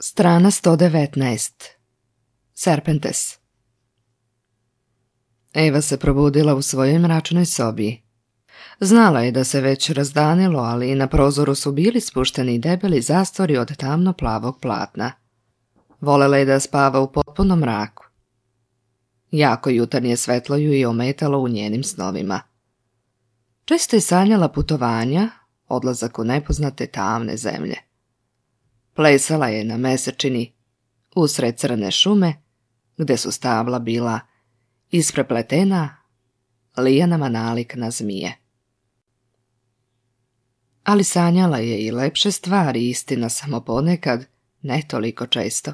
Strana 119. Serpentes. Eva se probudila u svojoj mračnoj sobi. Znala je da se već razdanilo, ali na prozoru su bili spušteni debeli zastori od tamno-plavog platna. Volela je da spava u potpunom mraku. Jako jutarnje svetlo ju je ometalo u njenim snovima. Često je sanjala putovanja, odlazak u nepoznate tamne zemlje. Plesala je na mesečini, usred crne šume, gde su stabla bila isprepletena lijanama nalik na zmije. Ali sanjala je i lepše stvari, istina, samo ponekad, ne toliko često.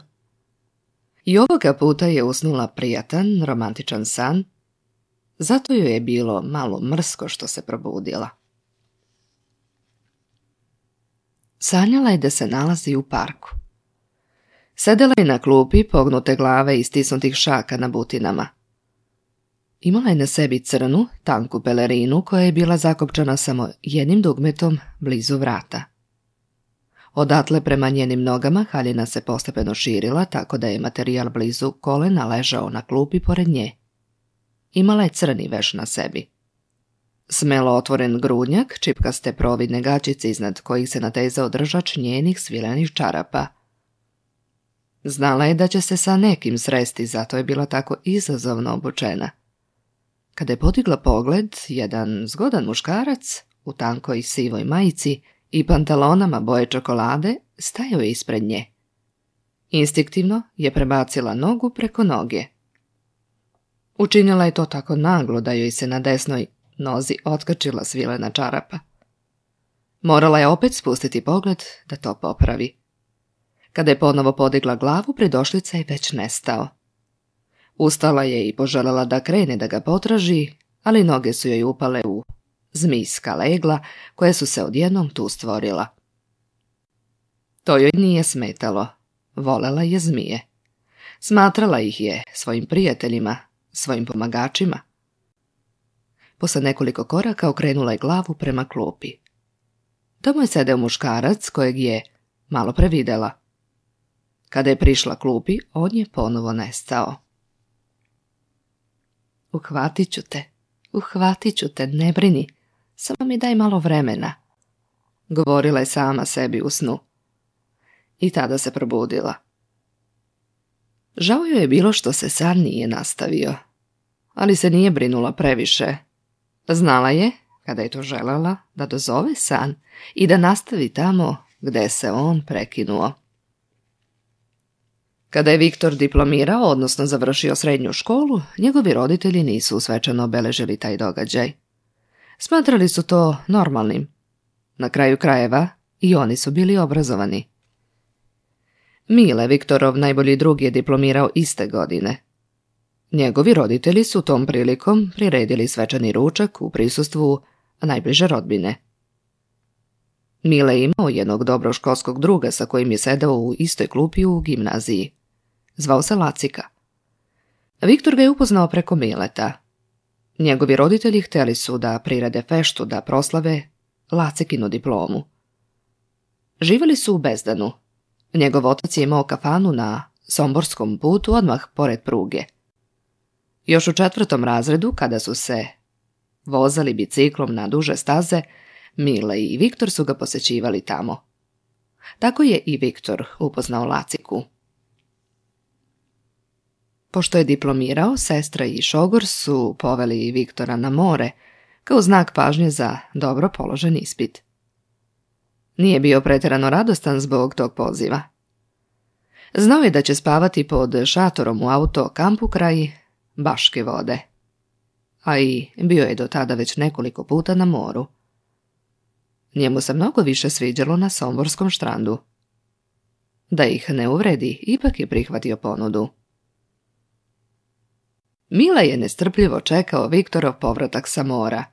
I ovoga puta je usnula prijatan, romantičan san, zato joj je bilo malo mrsko što se probudila. Sanjala je da se nalazi u parku. Sedela je na klupi, pognute glave i stisnutih šaka na butinama. Imala je na sebi crnu, tanku pelerinu koja je bila zakopčana samo jednim dugmetom blizu vrata. Odatle prema njenim nogama haljina se postepeno širila, tako da je materijal blizu kolena ležao na klupi pored nje. Imala je crni veš na sebi. Smelo otvoren grudnjak, čipkaste providne gaćice iznad kojih se natezao držač njenih svilenih čarapa. Znala je da će se sa nekim sresti, zato je bila tako izazovno obučena. Kada je podigla pogled, jedan zgodan muškarac u tankoj sivoj majici i pantalonama boje čokolade stajao je ispred nje. Instinktivno je prebacila nogu preko noge. Učinila je to tako naglo da joj se na desnoj nozi otkačila svilena čarapa. Morala je opet spustiti pogled da to popravi. Kada je ponovo podigla glavu, pridošlica je već nestao. Ustala je i poželjela da krene da ga potraži, ali noge su joj upale u zmijska legla koje su se odjednom tu stvorila. To joj nije smetalo. Volela je zmije. Smatrala ih je svojim prijateljima, svojim pomagačima. Posle nekoliko koraka okrenula je glavu prema klupi. Tamo je sedeo muškarac kojeg je malo previdela. Kada je prišla klupi, on je ponovo nestao. Uhvatit ću te, ne brini, samo mi daj malo vremena, govorila je sama sebi u snu. I tada se probudila. Žao joj je bilo što se san nije nastavio, ali se nije brinula previše. Znala je, kada je to želela, da dozove san i da nastavi tamo gde se on prekinuo. Kada je Viktor diplomirao, odnosno završio srednju školu, njegovi roditelji nisu svečano obeležili taj događaj. Smatrali su to normalnim. Na kraju krajeva i oni su bili obrazovani. Mile, Viktorov najbolji drug, je diplomirao iste godine. Njegovi roditelji su tom prilikom priredili svečani ručak u prisustvu najbliže rodbine. Mile je imao jednog dobrog školskog druga sa kojim je sedao u istoj klupi u gimnaziji. Zvao se Lacika. Viktor ga je upoznao preko Mileta. Njegovi roditelji htjeli su da prirede feštu, da proslave Lacikinu diplomu. Živjeli su u Bezdanu. Njegov otac je imao kafanu na Somborskom putu odmah pored pruge. Još u 4. razredu, kada su se vozali biciklom na duže staze, Mile i Viktor su ga posećivali tamo. Tako je i Viktor upoznao Laciku. Pošto je diplomirao, sestra i šogor su poveli Viktora na more, kao znak pažnje za dobro položen ispit. Nije bio pretjerano radostan zbog tog poziva. Znao je da će spavati pod šatorom u auto kampu kraj Baške vode. A i bio je do tada već nekoliko puta na moru. Njemu se mnogo više sviđalo na Somborskom štrandu. Da ih ne uvredi, ipak je prihvatio ponudu. Mile je nestrpljivo čekao Viktorov povratak sa mora.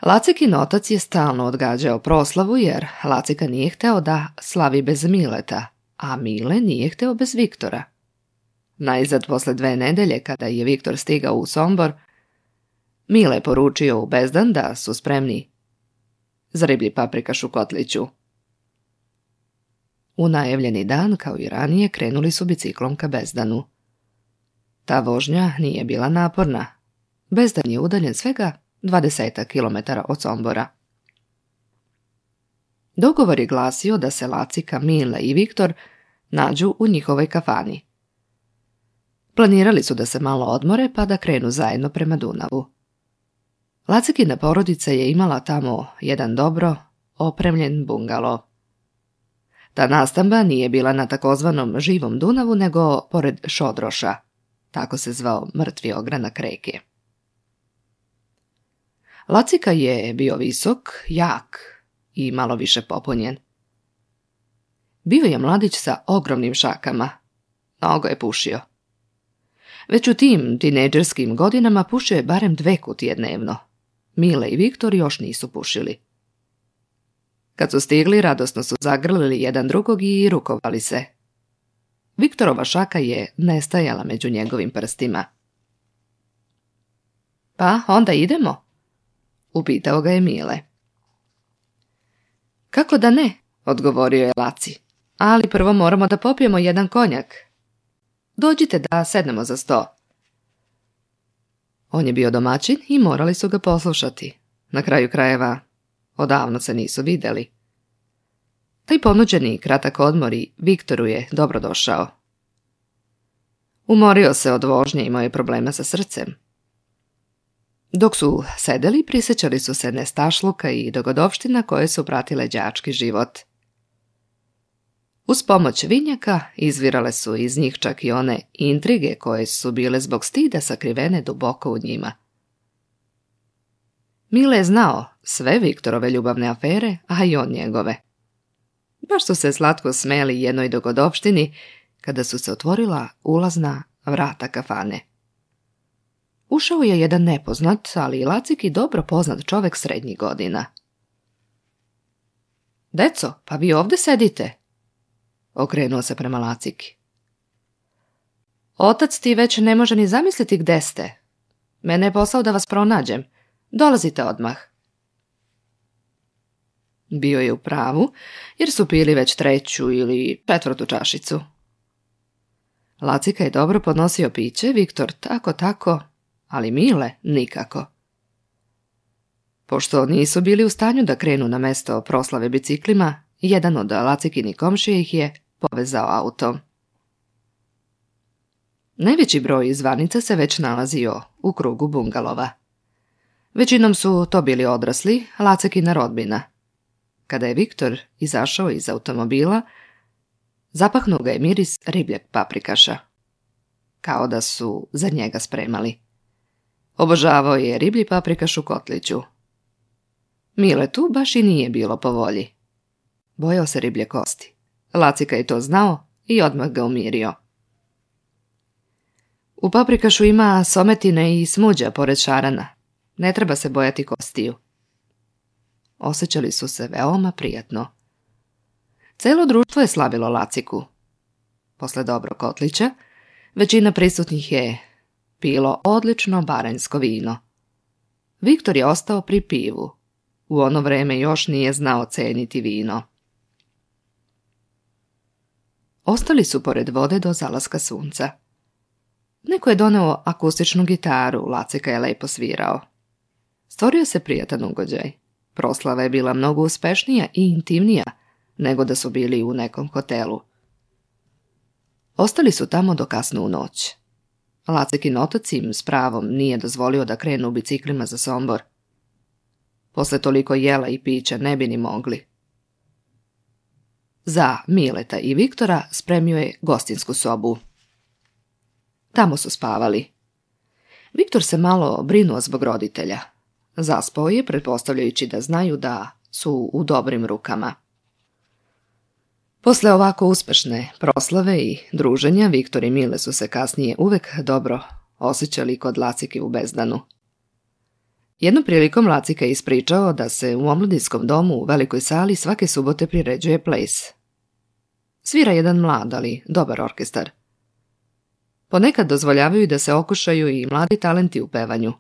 Lacikin otac je stalno odgađao proslavu jer Lacika nije hteo da slavi bez Mileta, a Mile nije hteo bez Viktora. Najzad posle 2 nedelje, kada je Viktor stigao u Sombor, Mile je poručio u Bezdan da su spremni za riblji paprikaš u kotliću. U najavljeni dan, kao i ranije, krenuli su biciklom ka Bezdanu. Ta vožnja nije bila naporna. Bezdan je udaljen svega 20 kilometara od Sombora. Dogovor je glasio da se Lacika, Mile i Viktor nađu u njihovoj kafani. Planirali su da se malo odmore pa da krenu zajedno prema Dunavu. Lacikina porodica je imala tamo jedan dobro opremljen bungalo. Ta nastamba nije bila na takozvanom živom Dunavu, nego pored Šodroša, tako se zvao mrtvi ogranak reke. Lacika je bio visok, jak i malo više popunjen. Bio je mladić sa ogromnim šakama. Mnogo je pušio. Već u tim tinejdžerskim godinama pušio je barem 2 kutije dnevno. Mile i Viktor još nisu pušili. Kad su stigli, radosno su zagrlili jedan drugog i rukovali se. Viktorova šaka je nestajala među njegovim prstima. Pa, onda idemo? Upitao ga je Mile. Kako da ne, odgovorio je Laci, ali prvo moramo da popijemo jedan konjak. Dođite da sednemo za sto. On je bio domaćin i morali su ga poslušati. Na kraju krajeva, odavno se nisu vidjeli. Taj ponuđeni kratak odmor i Viktoru je dobro došao. Umorio se od vožnje i imao je problema sa srcem. Dok su sedeli, prisjećali su se nestašluka i dogodovština koje su pratile đački život. Uz pomoć vinjaka izvirale su iz njih čak i one intrige koje su bile zbog stida sakrivene duboko u njima. Mile je znao sve Viktorove ljubavne afere, a i on njegove. Baš su se slatko smeli jednoj dogodovštini kada su se otvorila ulazna vrata kafane. Ušao je jedan nepoznat, ali i Laciki dobro poznat čovek srednjih godina. Deco, pa vi ovdje sedite? Okrenuo se prema Laciki. Otac ti već ne može ni zamisliti gde ste. Mene je poslao da vas pronađem. Dolazite odmah. Bio je u pravu, jer su pili već 3. ili 4. čašicu. Lacika je dobro podnosio piće, Viktor tako, ali Mile nikako. Pošto nisu bili u stanju da krenu na mesto proslave biciklima, jedan od Lacikinih komšija ih je povezao autom. Najveći broj izvarnica se već nalazio u krugu bungalova. Većinom su to bili odrasli, Lacikina rodbina. Kada je Viktor izašao iz automobila, zapahnuo ga je miris ribljeg paprikaša. Kao da su za njega spremali. Obožavao je riblji paprikaš u kotliću. Miletu baš i nije bilo po volji. Bojao se riblje kosti. Lacika je to znao i odmah ga umirio. U paprikašu ima sometine i smuđa pored šarana. Ne treba se bojati kostiju. Osjećali su se veoma prijatno. Celo društvo je slavilo Laciku. Posle dobro kotlića, većina prisutnih je pilo odlično baranjsko vino. Viktor je ostao pri pivu. U ono vreme još nije znao ceniti vino. Ostali su pored vode do zalaska sunca. Neko je doneo akustičnu gitaru, Lacika je lepo svirao. Stvorio se prijatan ugođaj. Proslava je bila mnogo uspešnija i intimnija nego da su bili u nekom hotelu. Ostali su tamo do kasno u noć. Lacikin otac im s pravom nije dozvolio da krenu u biciklima za Sombor. Posle toliko jela i pića ne bi ni mogli. Za Mileta i Viktora spremio je gostinsku sobu. Tamo su spavali. Viktor se malo brinuo zbog roditelja. Zaspao je, pretpostavljajući da znaju da su u dobrim rukama. Posle ovako uspešne proslave i druženja, Viktor i Mile su se kasnije uvek dobro osjećali kod Lacike u Bezdanu. Jednom prilikom Lacika je ispričao da se u omladinskom domu u velikoj sali svake subote priređuje ples. Svira jedan mlad, ali dobar orkestar. Ponekad dozvoljavaju da se okušaju i mladi talenti u pevanju.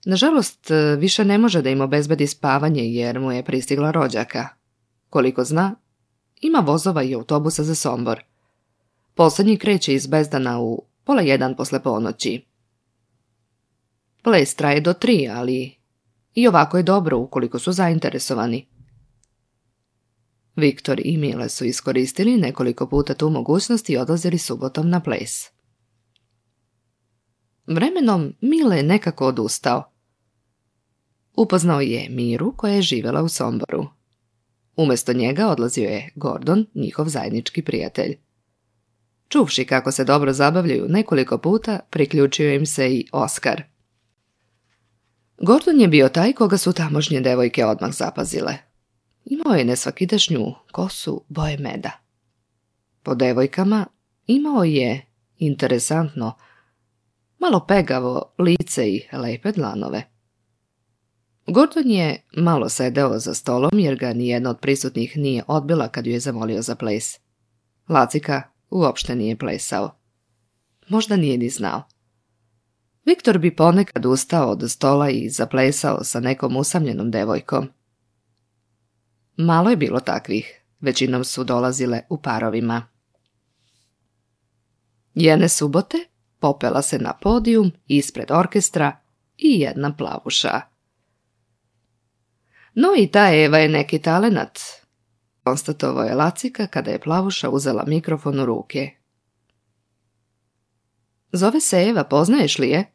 Nažalost, više ne može da im obezbedi spavanje jer mu je pristigla rođaka. Koliko zna, ima vozova i autobusa za Sombor. Poslednji kreće iz Bezdana u 12:30 posle ponoći. Ples traje do 3, ali i ovako je dobro ukoliko su zainteresovani. Viktor i Mile su iskoristili nekoliko puta tu mogućnost i odlazili subotom na ples. Vremenom Mile je nekako odustao. Upoznao je Miru koja je živjela u Somboru. Umjesto njega odlazio je Gordon, njihov zajednički prijatelj. Čuvši kako se dobro zabavljaju nekoliko puta, priključio im se i Oskar. Gordon je bio taj koga su tamošnje devojke odmah zapazile. Imao je nesvakidašnju kosu boje meda. Po devojkama imao je, interesantno, malo pegavo lice i lepe dlanove. Gordon je malo sedeo za stolom jer ga nijedna od prisutnih nije odbila kad ju je zamolio za ples. Lacika uopšte nije plesao. Možda nije ni znao. Viktor bi ponekad ustao od stola i zaplesao sa nekom usamljenom devojkom. Malo je bilo takvih, većinom su dolazile u parovima. Jedne subote popela se na podijum ispred orkestra i jedna plavuša. No i ta Eva je neki talenat, konstatovao je Lacika kada je plavuša uzela mikrofon u ruke. Zove se Eva, poznaješ li je?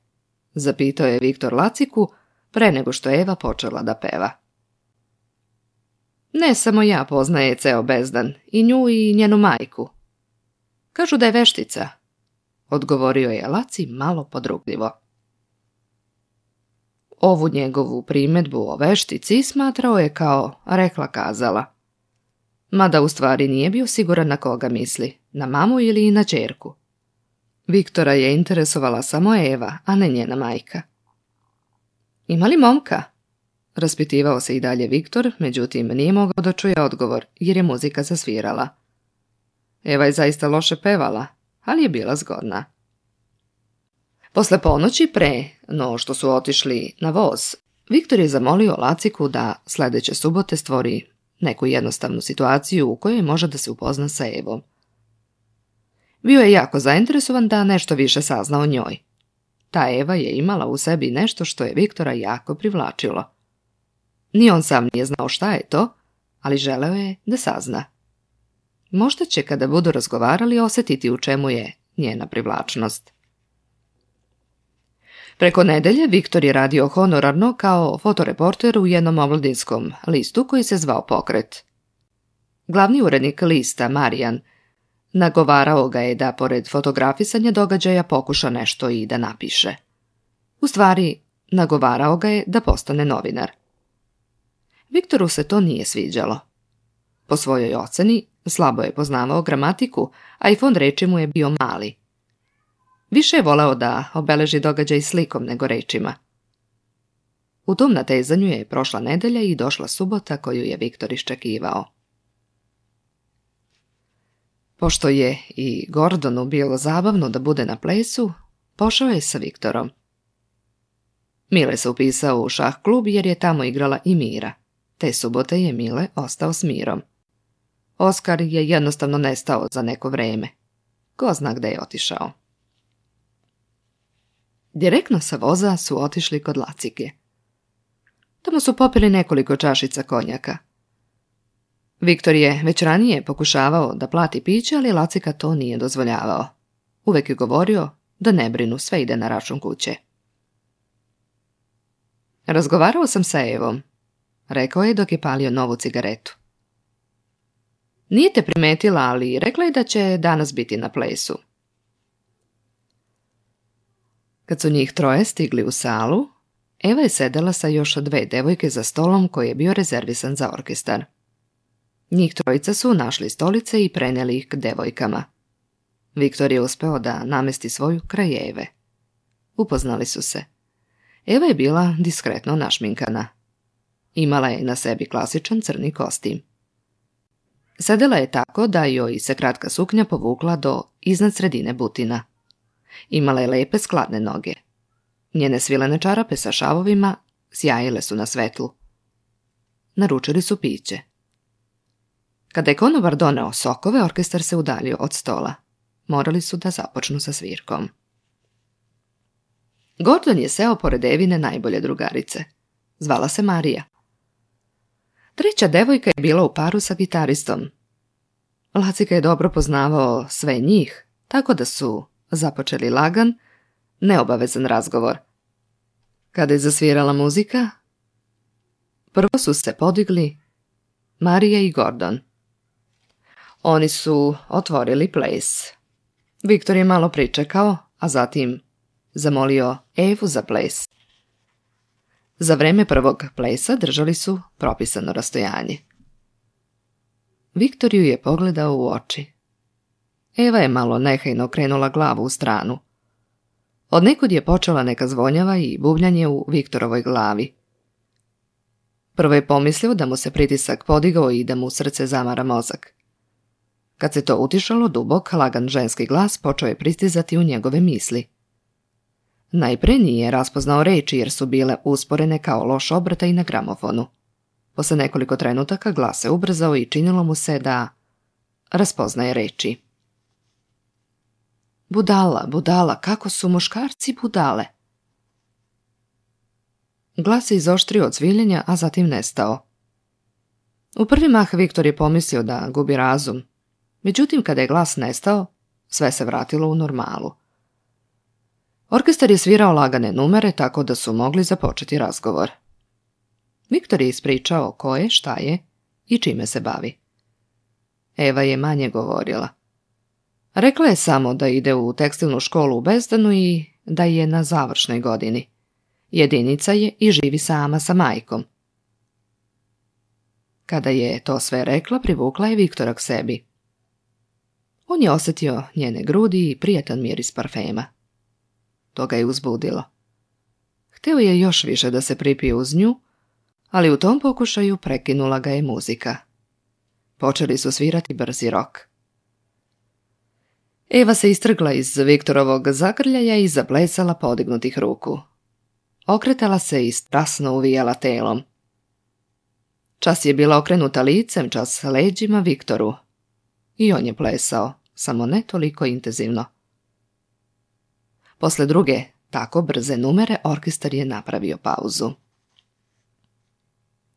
Zapitao je Viktor Laciku pre nego što je Eva počela da peva. Ne samo ja poznaje ceo Bezdan, i nju i njenu majku. Kažu da je veštica, odgovorio je Laci malo podrugljivo. Ovu njegovu primedbu o veštici smatrao je kao rekla kazala. Mada u stvari nije bio siguran na koga misli, na mamu ili na ćerku. Viktora je interesovala samo Eva, a ne njena majka. Ima li momka? Raspitivao se i dalje Viktor, međutim nije mogao da čuje odgovor, jer je muzika zasvirala. Eva je zaista loše pevala, ali je bila zgodna. Posle ponoći pre, no što su otišli na voz, Viktor je zamolio Laciku da sledeće subote stvori neku jednostavnu situaciju u kojoj može da se upozna sa Evom. Bio je jako zainteresovan da nešto više sazna o njoj. Ta Eva je imala u sebi nešto što je Viktora jako privlačilo. Ni on sam nije znao šta je to, ali želeo je da sazna. Možda će kada budu razgovarali osjetiti u čemu je njena privlačnost. Preko nedelje Viktor je radio honorarno kao fotoreporter u jednom omladinskom listu koji se zvao Pokret. Glavni urednik lista, Marijan, nagovarao ga je da pored fotografisanja događaja pokuša nešto i da napiše. U stvari, nagovarao ga je da postane novinar. Viktoru se to nije sviđalo. Po svojoj oceni, slabo je poznavao gramatiku, a i fond reči mu je bio mali. Više je voleo da obeleži događaj slikom nego rečima. U tom natezanju je prošla nedelja i došla subota koju je Viktor iščekivao. Pošto je i Gordonu bilo zabavno da bude na plesu, pošao je sa Viktorom. Mile se upisao u šah klub jer je tamo igrala i Mira. Te subote je Mile ostao s Mirom. Oskar je jednostavno nestao za neko vreme. Ko zna gde je otišao. Direktno sa voza su otišli kod Lacike. Tamo su popili nekoliko čašica konjaka. Viktor je već ranije pokušavao da plati piće, ali Lacika to nije dozvoljavao. Uvek je govorio da ne brinu, sve ide na račun kuće. Razgovarao sam sa Evom, rekao je dok je palio novu cigaretu. Nije te primetila, ali rekla je da će danas biti na plesu. Kad su njih troje stigli u salu, Eva je sedela sa još 2 devojke za stolom koji je bio rezervisan za orkestar. Njih trojica su našli stolice i preneli ih k devojkama. Viktor je uspeo da namesti svoju kraj Eve. Upoznali su se. Eva je bila diskretno našminkana. Imala je na sebi klasičan crni kostim. Sedela je tako da joj se kratka suknja povukla do iznad sredine butina. Imala je lepe skladne noge. Njene svilene čarape sa šavovima sjajile su na svetlu. Naručili su piće. Kada je konobar doneo sokove, orkestar se udaljio od stola. Morali su da započnu sa svirkom. Gordon je seo pored Evine najbolje drugarice. Zvala se Marija. Treća devojka je bila u paru sa gitaristom. Lacika je dobro poznavao sve njih, tako da su započeli lagan, neobavezan razgovor. Kada je zasvirala muzika, prvo su se podigli Marija i Gordon. Oni su otvorili ples. Viktor je malo pričekao, a zatim zamolio Evu za ples. Za vreme prvog plesa držali su propisano rastojanje. Viktor ju je pogledao u oči. Eva je malo nehajno krenula glavu u stranu. Odnekud je počela neka zvonjava i bubljanje u Viktorovoj glavi. Prvo je pomislio da mu se pritisak podigao i da mu srce zamara mozak. Kad se to utišalo, dubok, lagan ženski glas počeo je pristizati u njegove misli. Najpre nije raspoznao reči jer su bile usporene kao loš obrtaj na gramofonu. Posle nekoliko trenutaka glas se ubrzao i činilo mu se da raspoznaje reči. Budala, budala, kako su muškarci budale. Glas se izoštrio od cviljenja, a zatim nestao. U prvi mah Viktor je pomislio da gubi razum. Međutim, kada je glas nestao, sve se vratilo u normalu. Orkestar je svirao lagane numere tako da su mogli započeti razgovor. Viktor je ispričao ko je, šta je i čime se bavi. Eva je manje govorila. Rekla je samo da ide u tekstilnu školu u Bezdanu i da je na završnoj godini. Jedinica je i živi sama sa majkom. Kada je to sve rekla, privukla je Viktora k sebi. On je osjetio njene grudi i prijatan miris parfema. To ga je uzbudilo. Hteo je još više da se pripije uz nju, ali u tom pokušaju prekinula ga je muzika. Počeli su svirati brzi rok. Eva se istrgla iz Viktorovog zagrljaja i zaplesala podignutih ruku. Okretala se i strasno uvijala telom. Čas je bila okrenuta licem, čas leđima Viktoru. I on je plesao, samo ne toliko intenzivno. Posle druge, tako brze numere, orkestar je napravio pauzu.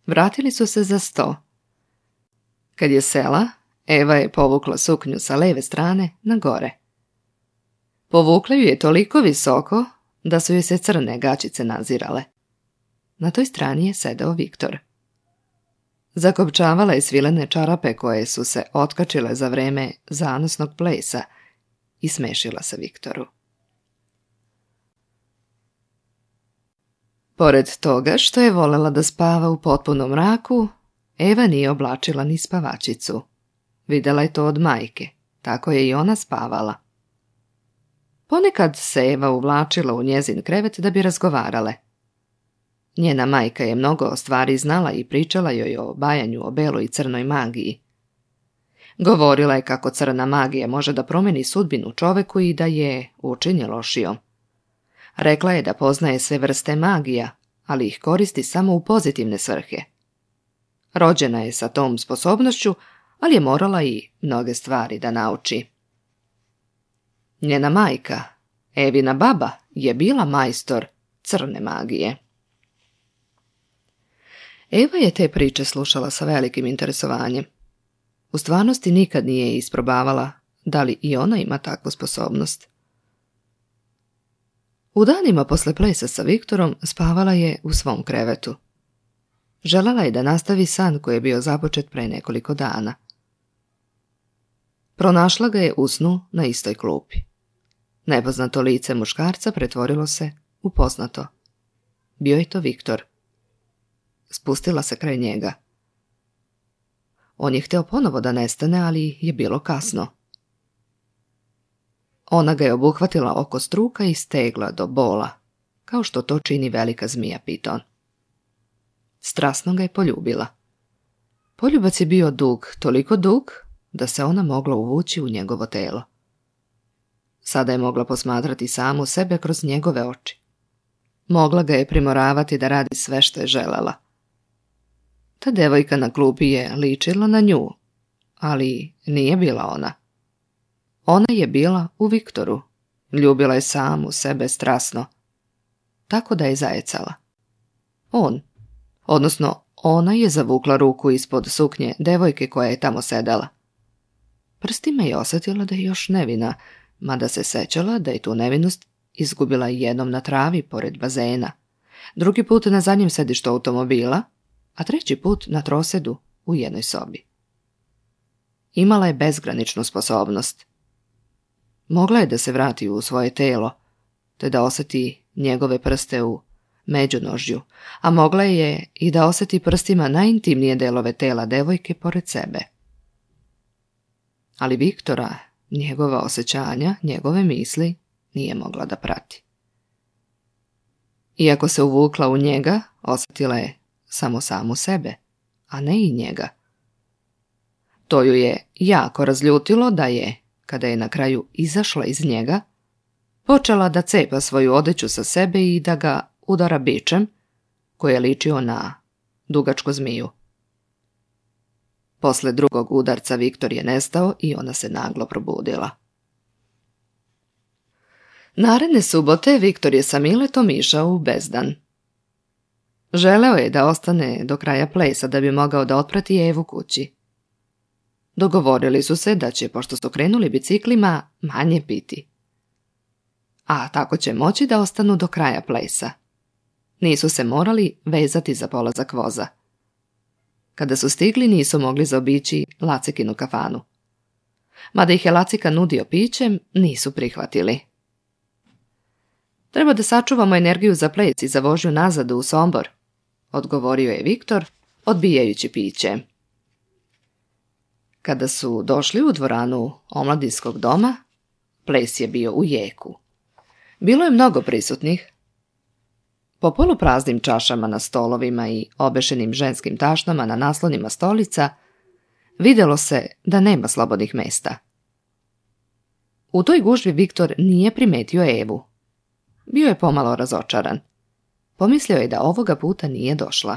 Vratili su se za sto. Kad je sela, Eva je povukla suknju sa leve strane na gore. Povukla ju je toliko visoko da su joj se crne gaćice nazirale. Na toj strani je sedeo Viktor. Zakopčavala je svilene čarape koje su se otkačile za vreme zanosnog plesa i smešila se Viktoru. Pored toga što je volela da spava u potpunom mraku, Eva nije oblačila ni spavačicu. Videla je to od majke, tako je i ona spavala. Ponekad se Eva uvlačila u njezin krevet da bi razgovarale. Njena majka je mnogo stvari znala i pričala joj o bajanju o beloj i crnoj magiji. Govorila je kako crna magija može da promeni sudbinu čoveku i da je učini lošijom. Rekla je da poznaje sve vrste magija, ali ih koristi samo u pozitivne svrhe. Rođena je sa tom sposobnošću, ali je morala i mnoge stvari da nauči. Njena majka, Evina baba, je bila majstor crne magije. Eva je te priče slušala sa velikim interesovanjem. U stvarnosti nikad nije isprobavala da li i ona ima takvu sposobnost. U danima posle plesa sa Viktorom spavala je u svom krevetu. Želela je da nastavi san koji je bio započet pre nekoliko dana. Pronašla ga je u snu na istoj klupi. Nepoznato lice muškarca pretvorilo se u poznato. Bio je to Viktor. Spustila se kraj njega. On je hteo ponovo da nestane, ali je bilo kasno. Ona ga je obuhvatila oko struka i stegla do bola, kao što to čini velika zmija piton. Strasno ga je poljubila. Poljubac je bio dug, toliko dug da se ona mogla uvući u njegovo telo. Sada je mogla posmatrati samu sebe kroz njegove oči. Mogla ga je primoravati da radi sve što je želela. Ta devojka na klupi je ličila na nju. ali nije bila ona. Ona je bila u Viktoru. Ljubila je samu sebe strasno. Tako da je zajecala. Ona je zavukla ruku ispod suknje devojke koja je tamo sedela. Prstima je osjetila da je još nevina, mada se sećala da je tu nevinost izgubila jednom na travi pored bazena, drugi put na zadnjem sedištu automobila, a treći put na trosedu u jednoj sobi. Imala je bezgraničnu sposobnost. Mogla je da se vrati u svoje telo, te da osjeti njegove prste u međunožju, a mogla je i da osjeti prstima najintimnije delove tela devojke pored sebe. Ali Viktora, njegova osjećanja, njegove misli nije mogla da prati. Iako se uvukla u njega, osjetila je samo samu sebe, a ne i njega. To ju je jako razljutilo da je, kada je na kraju izašla iz njega, počela da cepa svoju odeću sa sebe i da ga udara bičem, koji je ličio na dugačku zmiju. Posle drugog udarca Viktor je nestao i ona se naglo probudila. Naredne subote Viktor je sa Miletom išao u Bezdan. Želeo je da ostane do kraja plesa da bi mogao da otprati Evu kući. Dogovorili su se da će, pošto su krenuli biciklima, manje piti. A tako će moći da ostanu do kraja plesa. Nisu se morali vezati za polazak voza. Kada su stigli, nisu mogli zaobići Lacikinu kafanu. Mada ih je Lacika nudio pićem, nisu prihvatili. Treba da sačuvamo energiju za ples i za vožnju nazad u Sombor, odgovorio je Viktor, odbijajući piće. Kada su došli u dvoranu omladinskog doma, ples je bio u jeku. Bilo je mnogo prisutnih. Po polupraznim čašama na stolovima i obešenim ženskim tašnama na naslonima stolica vidjelo se da nema slobodnih mesta. U toj gužvi Viktor nije primetio Evu. Bio je pomalo razočaran. Pomislio je da ovoga puta nije došla.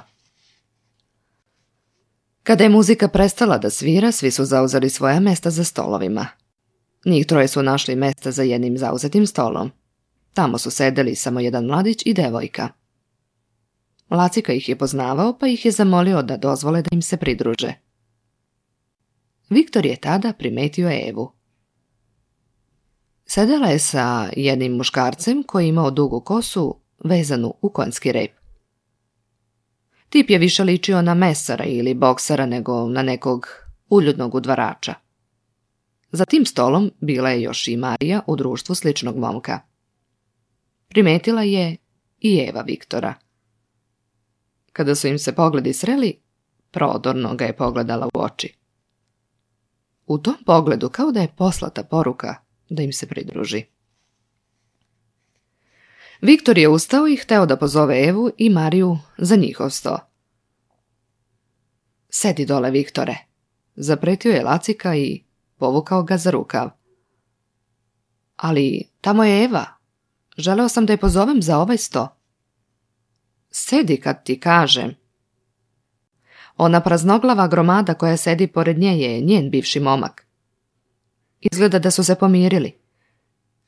Kada je muzika prestala da svira, svi su zauzeli svoja mesta za stolovima. Njih troje su našli mesta za jednim zauzetim stolom. Tamo su sedeli samo jedan mladić i devojka. Lacika ih je poznavao, pa ih je zamolio da dozvole da im se pridruže. Viktor je tada primetio Evu. Sedela je sa jednim muškarcem koji je imao dugu kosu vezanu u konjski rep. Tip je više ličio na mesara ili boksera nego na nekog uljudnog udvarača. Za tim stolom bila je još i Marija u društvu sličnog momka. Primetila je i Eva Viktora. Kada su im se pogledi sreli, prodorno ga je pogledala u oči. U tom pogledu kao da je poslata poruka da im se pridruži. Viktor je ustao i hteo da pozove Evu i Mariju za njihov sto. Sedi dole, Viktore, zapretio je Lacika i povukao ga za rukav. Ali tamo je Eva. Želeo sam da je pozovem za ovaj sto. Sedi kad ti kažem. Ona praznoglava gromada koja sedi pored nje je njen bivši momak. Izgleda da su se pomirili.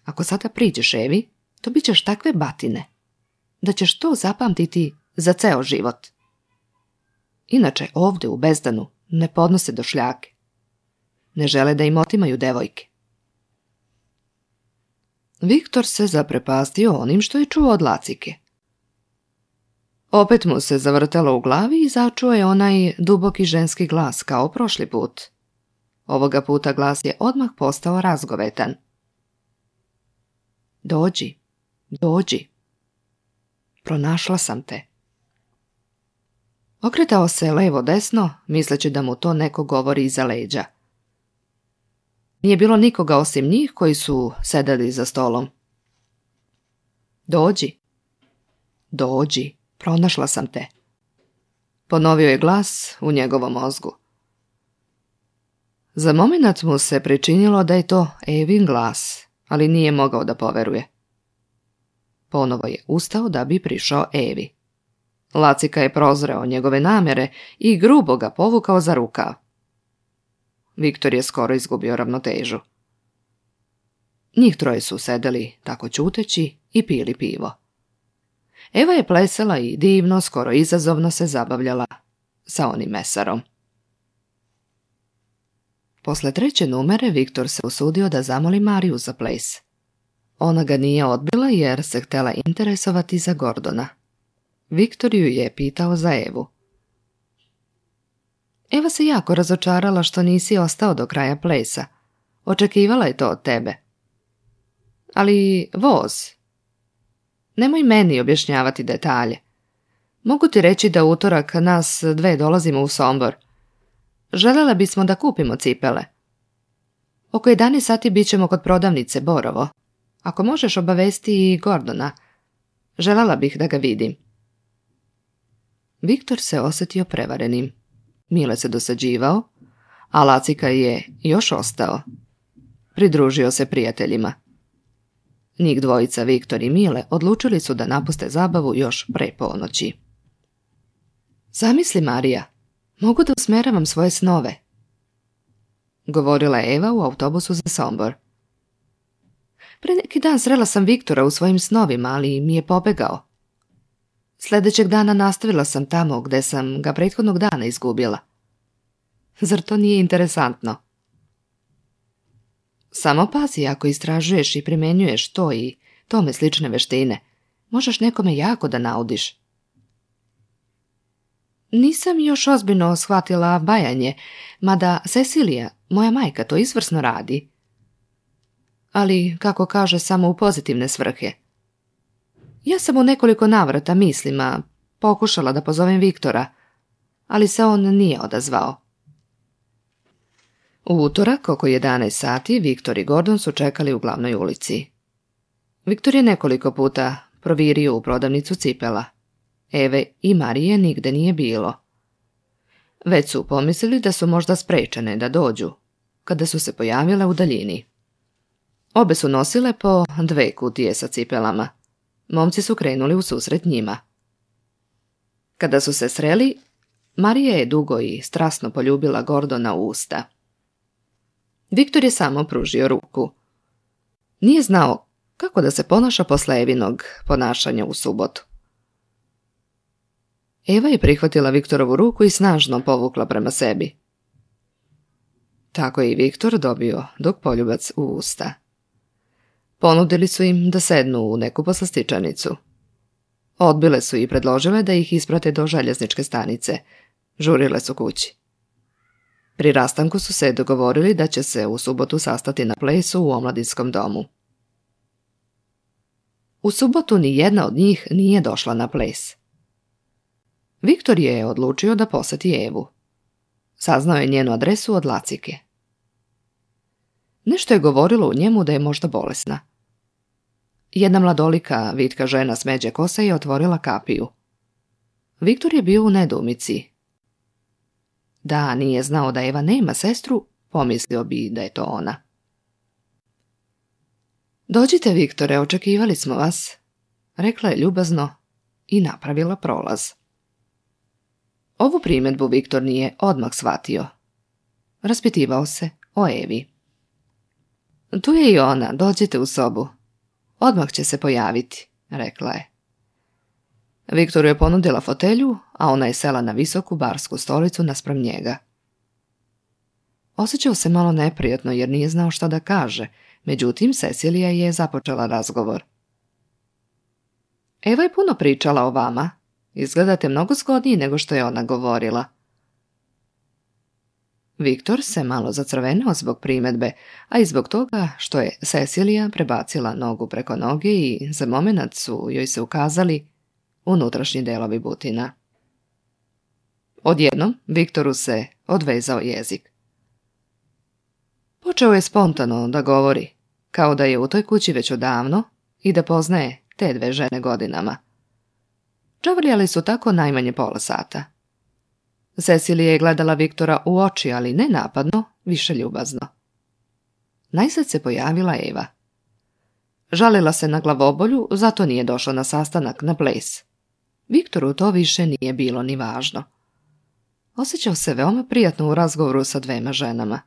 Ako sada priđeš Evi, dobit ćeš takve batine, da ćeš to zapamtiti za ceo život. Inače, ovdje u Bezdanu ne podnose došljake. Ne žele da im otimaju devojke. Viktor se zaprepastio onim što je čuo od Lacike. Opet mu se zavrtelo u glavi i začuo je onaj duboki ženski glas kao prošli put. Ovoga puta glas je odmah postao razgovetan. Dođi, dođi. Pronašla sam te. Okretao se levo-desno, misleći da mu to neko govori iza leđa. Nije bilo nikoga osim njih koji su sedeli za stolom. Dođi, dođi, pronašla sam te. Ponovio je glas u njegovom mozgu. Za momenat mu se pričinilo da je to Evin glas, ali nije mogao da poveruje. Ponovo je ustao da bi prišao Evi. Lacika je prozreo njegove namere i grubo ga povukao za rukav. Viktor je skoro izgubio ravnotežu. Njih troje su sedeli tako ćuteći i pili pivo. Eva je plesala i divno, skoro izazovno se zabavljala sa onim mesarom. Posle treće numere Viktor se usudio da zamoli Mariju za ples. Ona ga nije odbila jer se htjela interesovati za Gordona. Viktor ju je pitao za Evu. Eva se jako razočarala što nisi ostao do kraja plesa. Očekivala je to od tebe. Ali voz. Nemoj meni objašnjavati detalje. Mogu ti reći da u utorak nas dve dolazimo u Sombor. Željela bismo da kupimo cipele. Oko 11 sati bit ćemo kod prodavnice Borovo. Ako možeš obavesti i Gordona. Željela bih da ga vidim. Viktor se osjetio prevarenim. Mile se dosađivao, a Lacika je još ostao. Pridružio se prijateljima. Njih dvojica, Viktor i Mile, odlučili su da napuste zabavu još pre ponoći. Zamisli, Marija, mogu da usmeravam svoje snove, govorila je Eva u autobusu za Sombor. Pre neki dan srela sam Viktora u svojim snovima, ali mi je pobegao. Sljedećeg dana nastavila sam tamo gde sam ga prethodnog dana izgubila. Zar to nije interesantno? Samo pazi, ako istražuješ i primenjuješ to i tome slične veštine, možeš nekome jako da naudiš. Nisam još ozbiljno shvatila bajanje, mada Cecilija, moja majka, to izvrsno radi. Ali, kako kaže, samo u pozitivne svrhe. Ja sam u nekoliko navrata mislima pokušala da pozovem Viktora, ali se on nije odazvao. U utorak, oko 11 sati, Viktor i Gordon su čekali u glavnoj ulici. Viktor je nekoliko puta provirio u prodavnicu cipela. Eve i Marije nigde nije bilo. Već su pomislili da su možda sprečene da dođu, kada su se pojavile u daljini. Obe su nosile po 2 kutije sa cipelama. Momci su krenuli u susret njima. Kada su se sreli, Marija je dugo i strasno poljubila Gordona u usta. Viktor je samo pružio ruku. Nije znao kako da se ponaša posle Evinog ponašanja u subotu. Eva je prihvatila Viktorovu ruku i snažno povukla prema sebi. Tako je i Viktor dobio dug poljubac u usta. Ponudili su im da sednu u neku poslastičanicu. Odbile su i predložile da ih isprate do željezničke stanice. Žurile su kući. Pri rastanku su se dogovorili da će se u subotu sastati na plesu u omladinskom domu. U subotu ni jedna od njih nije došla na ples. Viktor je odlučio da poseti Evu. Saznao je njenu adresu od Lacike. Nešto je govorilo u njemu da je možda bolesna. Jedna mladolika, vitka žena s međe kose je otvorila kapiju. Viktor je bio u nedoumici. Da nije znao da Eva nema sestru, pomislio bi da je to ona. Dođite, Viktore, očekivali smo vas, rekla je ljubazno i napravila prolaz. Ovu primjedbu Viktor nije odmah shvatio. Raspitivao se o Evi. Tu je i ona, dođite u sobu. Odmah će se pojaviti, rekla je. Viktoru je ponudila fotelju, a ona je sela na visoku barsku stolicu naspram njega. Osjećao se malo neprijatno jer nije znao šta da kaže, međutim Cecilija je započela razgovor. Eva je puno pričala o vama. Izgledate mnogo zgodniji nego što je ona govorila. Viktor se malo zacrvenio zbog primjedbe, a i zbog toga što je Cecilija prebacila nogu preko noge i za momenat su joj se ukazali unutrašnji delovi butina. Odjednom Viktoru se odvezao jezik. Počeo je spontano da govori, kao da je u toj kući već odavno i da poznaje te dve žene godinama. Čavrljali su tako najmanje pola sata. Cecilija je gledala Viktora u oči, ali ne napadno, više ljubazno. Najzad se pojavila Eva. Žalila se na glavobolju, zato nije došla na sastanak na ples. Viktoru to više nije bilo ni važno. Osjećao se veoma prijatno u razgovoru sa dvema ženama.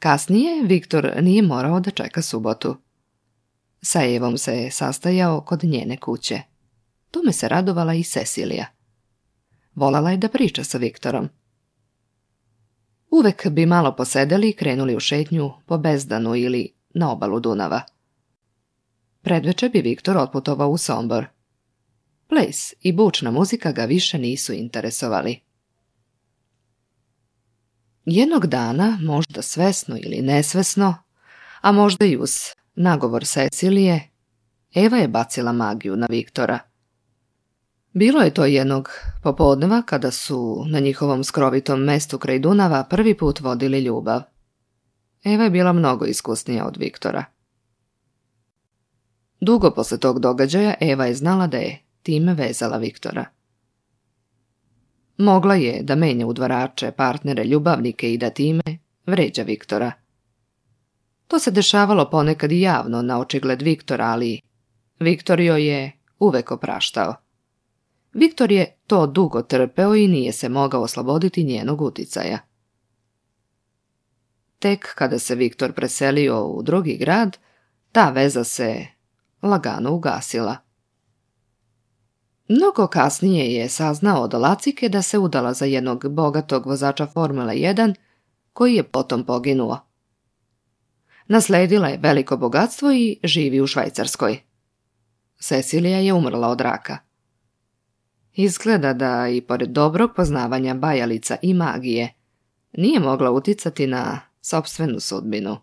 Kasnije Viktor nije morao da čeka subotu. Sa Evom se sastajao kod njene kuće. Tome se radovala i Cecilija. Volala je da priča sa Viktorom. Uvek bi malo posedeli i krenuli u šetnju po Bezdanu ili na obalu Dunava. Predveče bi Viktor otputovao u Sombor. Ples i bučna muzika ga više nisu interesovali. Jednog dana, možda svesno ili nesvesno, a možda i uz nagovor Cecilije, Eva je bacila magiju na Viktora. Bilo je to jednog popodneva kada su na njihovom skrovitom mestu kraj Dunava prvi put vodili ljubav. Eva je bila mnogo iskusnija od Viktora. Dugo posle tog događaja Eva je znala da je time vezala Viktora. Mogla je da menja udvarače, partnere, ljubavnike i da time vređa Viktora. To se dešavalo ponekad i javno na očigled Viktora, ali Viktor joj je uvek opraštao. Viktor je to dugo trpeo i nije se mogao osloboditi njenog uticaja. Tek kada se Viktor preselio u drugi grad, ta veza se lagano ugasila. Mnogo kasnije je saznao od Lacike da se udala za jednog bogatog vozača Formule 1, koji je potom poginuo. Nasledila je veliko bogatstvo i živi u Švajcarskoj. Cecilija je umrla od raka. Izgleda da i pored dobrog poznavanja bajalica i magije nije mogla uticati na sopstvenu sudbinu.